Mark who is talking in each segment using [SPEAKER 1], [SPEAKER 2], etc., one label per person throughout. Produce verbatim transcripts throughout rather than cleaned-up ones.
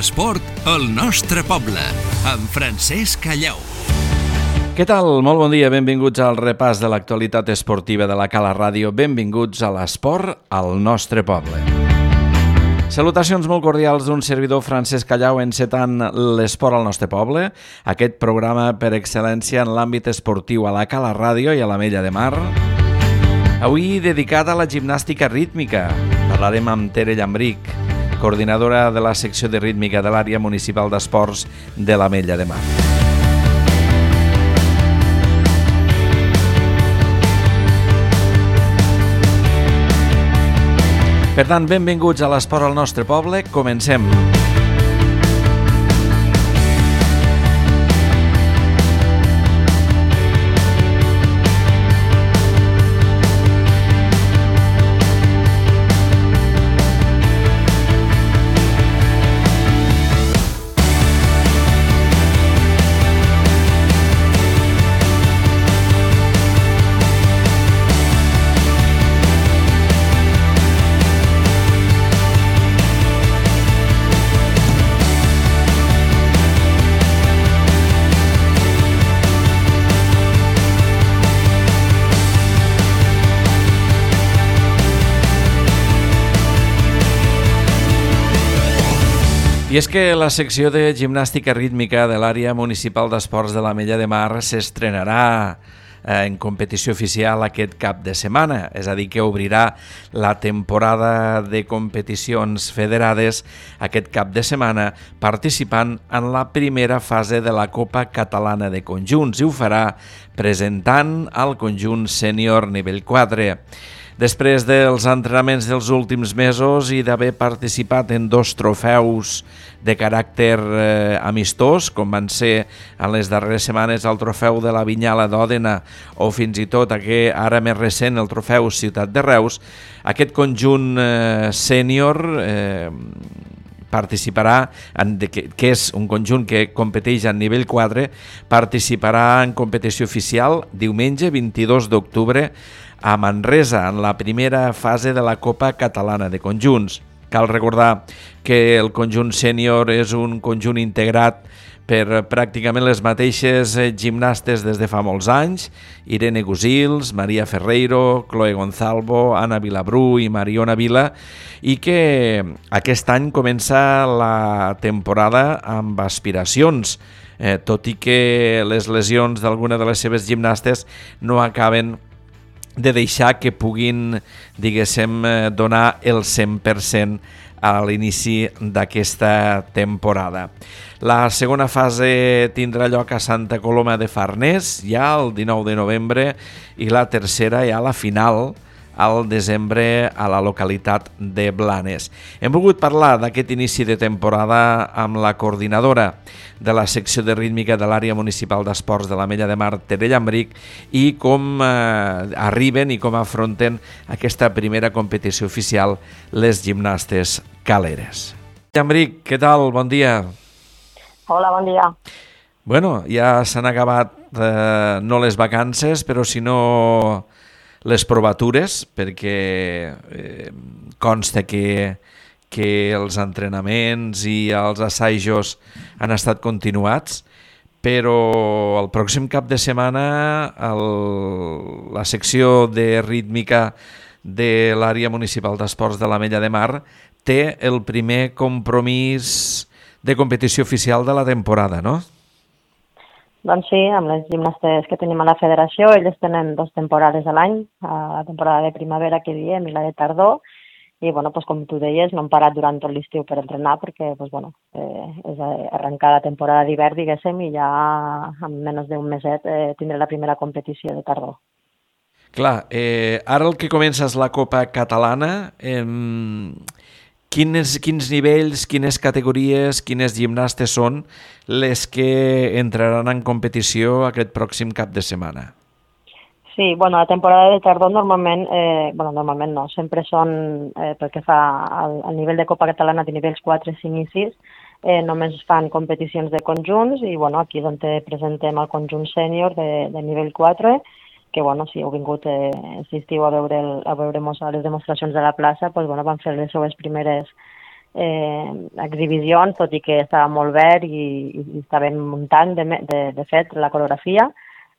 [SPEAKER 1] L'esport al nostre poble, amb Francesc Callau.
[SPEAKER 2] Què tal? Molt bon dia, benvinguts al repàs de l'actualitat esportiva de la Cala Ràdio. Benvinguts a l'esport al nostre poble. Salutacions molt cordials d'un servidor, Francesc Callau, encetant l'esport al nostre poble, aquest programa per excel·lència en l'àmbit esportiu a la Cala Ràdio i a l'Ametlla de Mar. Avui dedicat a la gimnàstica rítmica. Parlarem amb Tere Llambrich, coordinadora de la secció de rítmica de l'àrea municipal d'esports de l'Ametlla de Mar. Per tant, benvinguts a l'esport al nostre poble. Comencem. I és que la secció de gimnàstica rítmica de l'àrea municipal d'esports de l'Ametlla de Mar s'estrenarà en competició oficial aquest cap de setmana, és a dir, que obrirà la temporada de competicions federades aquest cap de setmana participant en la primera fase de la Copa Catalana de Conjunts i ho farà presentant el conjunt sènior nivell quatre. Després dels entrenaments dels últims mesos i d'haver participat en dos trofeus de caràcter eh, amistós, com van ser en les darreres setmanes el trofeu de la Vinyala d'Òdena o fins i tot aquest, ara més recent el trofeu Ciutat de Reus, aquest conjunt eh, sènior eh, participarà, en, que, que és un conjunt que competeix a nivell quatre, participarà en competició oficial diumenge vint-i-dos d'octubre a Manresa, en la primera fase de la Copa Catalana de Conjunts. Cal recordar que el conjunt sènior és un conjunt integrat per pràcticament les mateixes gimnastes des de fa molts anys, Irene Gusils, Maria Ferreiro, Chloe Gonzalvo, Anna Vilabrú i Mariona Vila, i que aquest any comença la temporada amb aspiracions, eh, tot i que les lesions d'alguna de les seves gimnastes no acaben de deixar que puguin, diguéssim, donar el cent per cent a l'inici d'aquesta temporada. La segona fase tindrà lloc a Santa Coloma de Farners, ja el dinou de novembre, i la tercera ja la final, al desembre, a la localitat de Blanes. Hem volgut parlar d'aquest inici de temporada amb la coordinadora de la secció de rítmica de l'àrea municipal d'esports de l'Ametlla de Mar, Tere Llambrich, i com eh, arriben i com afronten aquesta primera competició oficial les gimnastes caleres. Llambrich, què tal? Bon dia.
[SPEAKER 3] Hola, bon dia.
[SPEAKER 2] Bueno, ja s'han acabat eh, no les vacances, però si no les provatures, perquè eh, consta que, que els entrenaments i els assajos han estat continuats, però el pròxim cap de setmana el, la secció de rítmica de l'àrea municipal d'esports de l'Ametlla de Mar té el primer compromís de competició oficial de la temporada, no?
[SPEAKER 3] Doncs sí, amb les gimnastes que tenim a la federació, elles tenen dues temporades a l'any, la temporada de primavera que diem i la de tardor, i bueno, pues, com tu deies, no hem parat durant tot l'estiu per entrenar perquè pues, bueno, eh, és arrencar la temporada d'hivern, diguéssim, i ja en menys d'un meset eh, tindré la primera competició de tardor.
[SPEAKER 2] Clar, eh, ara el que comença és la Copa Catalana. Eh, quins, quins nivells, quines categories, quines gimnastes són les que entraran en competició aquest pròxim cap de setmana?
[SPEAKER 3] Sí, bueno, la temporada de tardor normalment, eh, bueno, normalment no, sempre són, eh, pel que fa al, al nivell de Copa Catalana de nivells quatre, cinc i sis, eh, només fan competicions de conjunts i bueno, aquí és on presentem el conjunt sènior de, de nivell quatre, que bueno, si heu vingut eh, aquest estiu a veure, el, a veure les demostracions de la plaça, pues, bueno, van fer les seues primeres eh, exhibicions, tot i que estava molt verd i, i estàvem muntant, de, de, de fet, la coreografia,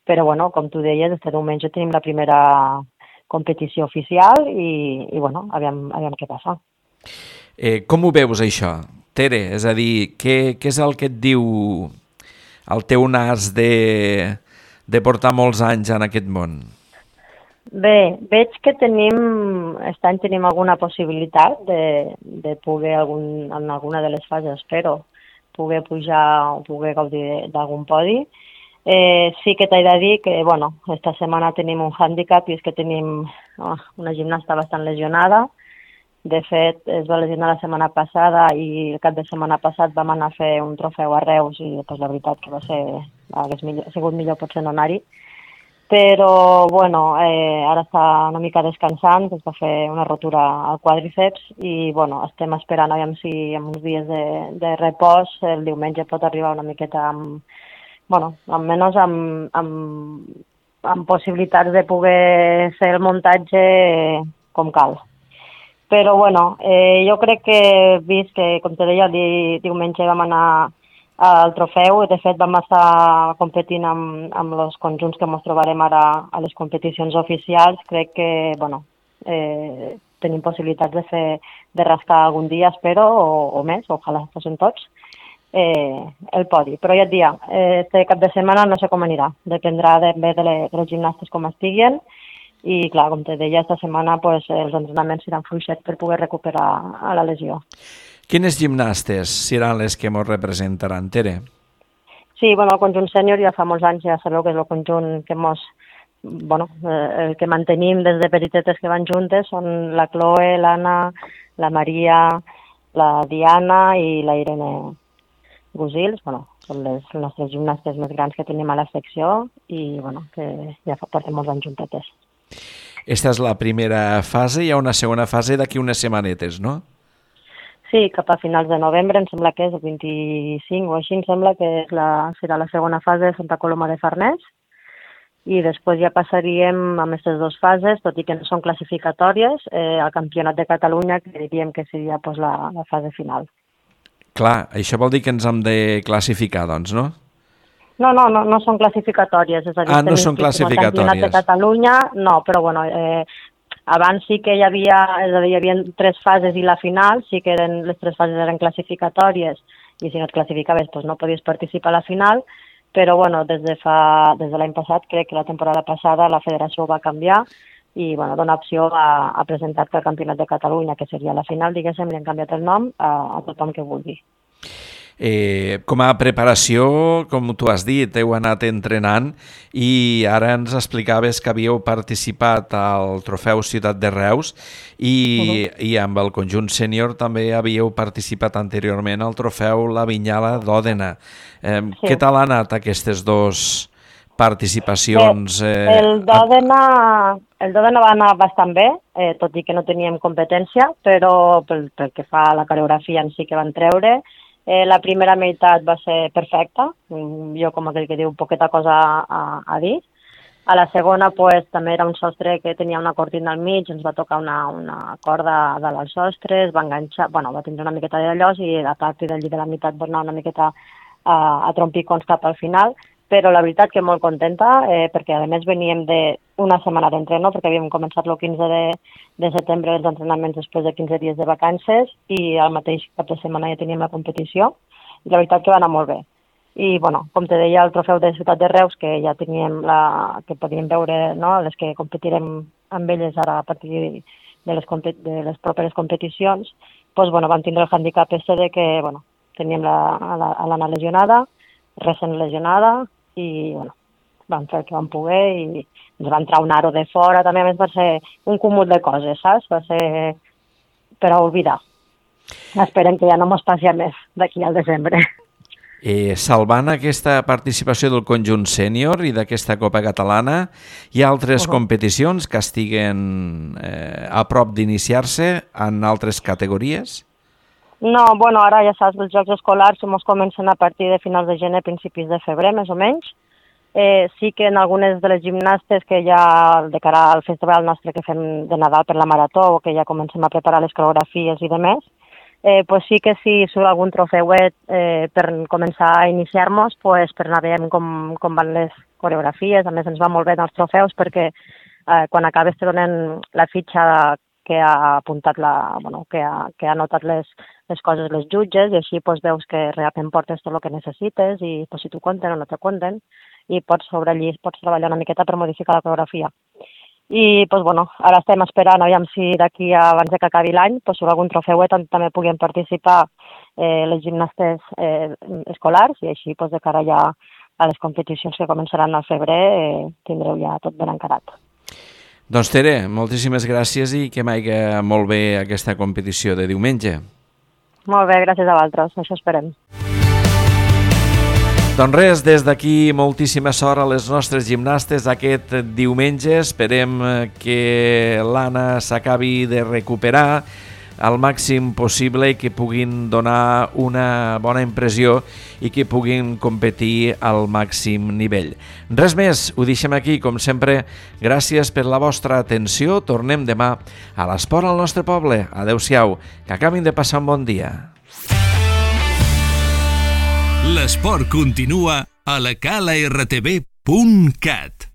[SPEAKER 3] però, bueno, com tu deies, este diumenge tenim la primera competició oficial i, i bueno, aviam, aviam què passa.
[SPEAKER 2] Eh, com ho veus, això, Tere? És a dir, què, què és el que et diu el teu nas de, de portar molts anys en aquest món?
[SPEAKER 3] Bé, veig que tenim, aquest any tenim alguna possibilitat de, de poder, algun, en alguna de les fases, espero, poder pujar o poder gaudir d'algun podi. Eh, sí que t'he de dir que, bueno, esta setmana tenim un hàndicap i és que tenim oh, una gimnasta bastant lesionada. De fet, es va lesionar la setmana passada i el cap de setmana passat vam anar a fer un trofeu a Reus i pues, la veritat que va ser, hagués millor, ha sigut millor potser no anar-hi. Però, bueno, eh, ara està una mica descansant, es va fer una rotura al quàdriceps i, bueno, estem esperant, aviam si en uns dies de, de repòs el diumenge pot arribar una miqueta amb, bueno, almenys amb, amb, amb possibilitats de poder fer el muntatge com cal. Però, bueno, eh, jo crec que, vist que, com te deia, el di, diumenge vam anar al trofeu, de fet vam estar competint amb, amb els conjunts que ens trobarem ara a les competicions oficials, crec que, bueno, eh, tenim possibilitats de fer, de rascar algun dia, espero, o, o més, ojalà fossin tots, eh, el podi. Però ja et dia, eh, este cap de setmana no sé com anirà, dependrà de, de, les, de les gimnastes com estiguen, i, clar, com te deia, esta setmana pues, els entrenaments seran fluixets per poder recuperar a la lesió.
[SPEAKER 2] Quines gimnastes seran les que ens representaran, Tere?
[SPEAKER 3] Sí, bueno, el conjunt sènior ja fa molts anys, ja sabeu que és el conjunt que mos, bueno, el que mantenim des de petitetes que van juntes, són la Chloe, l'Anna, la Maria, la Diana i la Irene Gusils, bueno, són les nostres gimnastes més grans que tenim a la secció i, bueno, que ja portem molts anys juntetes.
[SPEAKER 2] Esta és la primera fase, hi ha una segona fase d'aquí unes setmanetes, no?
[SPEAKER 3] Sí, cap a finals de novembre, em sembla que és el vint-i-cinc o així, em sembla que és la, serà la segona fase de Santa Coloma de Farners i després ja passaríem amb aquestes dues fases, tot i que no són classificatòries, eh, al Campionat de Catalunya, que diríem que seria pues, la, la fase final.
[SPEAKER 2] Clar, això vol dir que ens hem de classificar, doncs, no?
[SPEAKER 3] No, no, no, no són classificatòries. És a dir,
[SPEAKER 2] ah, no són classificatòries.
[SPEAKER 3] El Campionat de Catalunya, no, però bueno, eh, abans sí que hi havia, és a dir, hi havia tres fases i la final, sí que eren, les tres fases eren classificatòries i si no et classificaves doncs no podies participar a la final, però bueno, des de, fa, des de l'any passat, crec que la temporada passada la federació va canviar i bueno, dona opció a, a presentar-te al Campionat de Catalunya, que seria la final, diguéssim, li han canviat el nom a, a tothom que vulgui.
[SPEAKER 2] Eh, com a preparació, com tu has dit, heu anat entrenant i ara ens explicaves que havíeu participat al Trofeu Ciutat de Reus i, uh-huh. i amb el conjunt sènior també havíeu participat anteriorment al Trofeu La Vinyala d'Òdena. Eh, sí. Què tal han anat aquestes dues participacions?
[SPEAKER 3] Eh, el d'Òdena el d'Òdena va anar bastant bé, eh, tot i que no teníem competència, però pel, pel que fa a la coreografia en si que van treure, Eh, la primera meitat va ser perfecta, jo com aquell que diu poqueta cosa a, a dir. A la segona pues, també era un sostre que tenia una cortina al mig, ens va tocar una, una corda dalt al sostre, es va enganxar, bueno, va tindre una miqueta de llos i a partir d'allí de la meitat va anar una miqueta a, a trompicons cap al final, però la veritat que molt contenta, eh, perquè a més veníem d'una setmana d'entreno, perquè havíem començat el quinze de, de setembre els entrenaments després de quinze dies de vacances i al mateix cap de setmana ja teníem la competició i la veritat que va anar molt bé. I, bueno, com te deia, el trofeu de Ciutat de Reus, que ja teníem la, que podíem veure, no?, les que competirem amb elles ara a partir de les, de les properes competicions, doncs, bueno, vam tindre el handicap este de que, bueno, teníem l'Anna lesionada, recent lesionada, i bueno, vam fer el que vam poder i ens va entrar un aro de fora, també a més va ser un cúmul de coses, saps? Va ser per a oblidar. Esperem que ja no mos passi a més d'aquí al desembre.
[SPEAKER 2] Eh, salvant aquesta participació del conjunt sènior i d'aquesta Copa Catalana, hi ha altres uh-huh. competicions que estiguen eh, a prop d'iniciar-se en altres categories?
[SPEAKER 3] No, bueno, ara ja saps, els Jocs Escolars mos comencen a partir de finals de gener, principis de febrer, més o menys. Eh, sí que en algunes de les gimnastes que ja de cara al festival nostre que fem de Nadal per la Marató o que ja comencem a preparar les coreografies i demés, Eh, pues sí que si surt algun trofeuet eh, per començar a iniciar-nos, pues, per anar veient com, com van les coreografies. A més, ens va molt bé els trofeus perquè eh, quan acabes te donen la fitxa que ha apuntat la, bueno, que ha, que ha anotat les, les coses les jutges, i així pues, veus que realment portes tot el que necessites i pues, si t'ho conten o no te conten, i pots sobre allí pots treballar una miqueta per modificar la coreografia. I pues, bueno, ara estem esperant, aviam si d'aquí abans de que acabi l'any pues, surt algun trofeuet on també puguin participar eh, les gimnastes eh, escolars, i així pues, de cara ja a les competicions que començaran al febrer eh, tindreu ja tot ben encarat.
[SPEAKER 2] Doncs Tere, moltíssimes gràcies i que vagi molt bé aquesta competició de diumenge.
[SPEAKER 3] Molt bé, gràcies a vosaltres, això esperem.
[SPEAKER 2] Doncs res, des d'aquí moltíssima sort a les nostres gimnastes aquest diumenge. Esperem que l'Anna s'acabi de recuperar al màxim possible i que puguin donar una bona impressió i que puguin competir al màxim nivell. Res més, ho deixem aquí, com sempre. Gràcies per la vostra atenció. Tornem demà a l'Esport al nostre poble. Adéu-siau, que acabin de passar un bon dia.
[SPEAKER 1] L'esport continua a la cala r t v punt cat.